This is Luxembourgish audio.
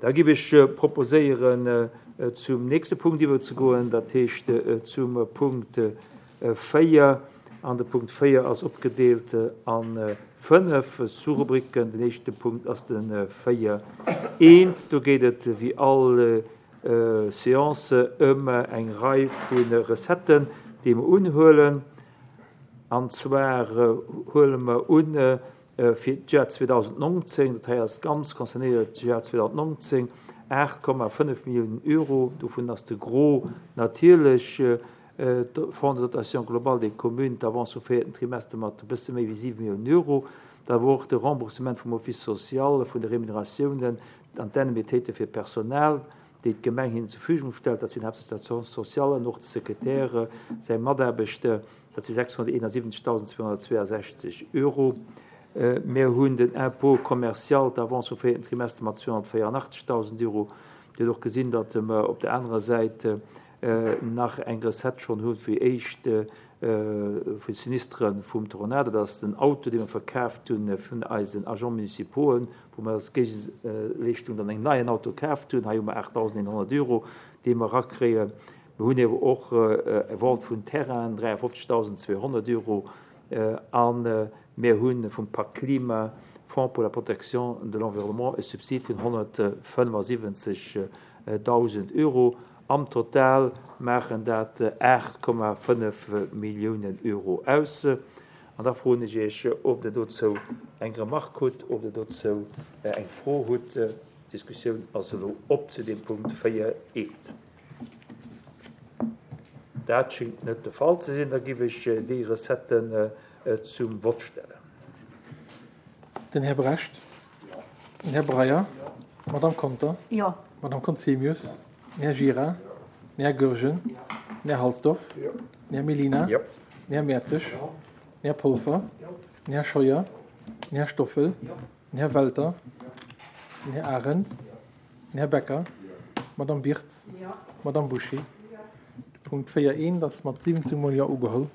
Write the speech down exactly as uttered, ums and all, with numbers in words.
Da giff ech proposéieren, zum nächste Punkt iwwerzegoen, dat heescht zum Punkt véier. An de Punkt véier ass opgedeelt a fënnef Sous-Rubriken. Den éischte Punkt ass de véier eent. Do geet et wéi all Séance ëm eng Rei vu Recetten, déi mer unhuelen. An zwar huele mer un fir d'Joer zweedausendnongzéng, dat hei ass ganz concernéiert d'Joer zweedausendnongzéng, aacht Komma fënnef Milliounen Euro. Dovun ass de Gros natierlech de Fonds de dotation globale des communes, d'Avance vum véierten Trimester mat e bësse méi wéi siwe Milliounen Euro. Da wor och de Remboursement vum Office social, vun de Remuneratiounen an d'Indemnitéite fir d'Personal, déi d'Gemeng hinnen zur Verfügung stellt. Dat sinn haaptsächlech d'Assistants sociales an och de Sekretär, säi Mataarbechter. Dat si sechshonnerteenasiwwenzegtausendzweehonnertzweeasechzeg Euro. Mir hunn den Impôt commercial, d'Avance vum véierten Trimester mat zweehonnertvéierunachtzegtausend Euro. Dir hutt och gesinn, datt mer op der anerer Säit nach eng Recette schonn hu fir éischt vu Sinistre vum Tornado. Dat ass den Auto, dee mer verkaaft hu vun eisen Agents municipauxen, wou mer als Géigeleeschtung dann en neien Auto kaaft hunn. Hei hu mer aachtdausendeenhonnert Euro, déi mer erakréien. Mir hunn ewer och e Vente vun Terrainen, dräiafofzegtausendzweehonnert Euro, a mir hu vum Pak Klima, Fonds pour la protection de l'environnement, e Subsid vun honnertfënnefasiwwenzegdausend Euro. Am Total maachen dat aacht Komma fënnef Milliounen Euro aus. An da froen ech Iech, ob Der dozou eng Remark hutt, ob Der dozou eng Fro hutt. D'Diskussioun ass elo op zu deem Punkt véier eent. Dat schéngt net de Fall ze sinn. Da giff ech déi Recetten zum Vott stellen. Den Här Brecht. Den Här Breyer. D'Madame Conter. Jo. D'Madame Conzemius. Den Här Gira. Den Här Goergen. Den Här Halsdorf. Den Här Mellina. Den Här Mertzig. Den Här Polfer. Den Här Scheuer. Den Här Stoffel. Den Här Welter. Den Här Arendt. Den Här Becker. D'Madame Birtz. D'Madame Bouché. De Punkt véier eent ass mat siwwenzéng Mol Jo ugeholl.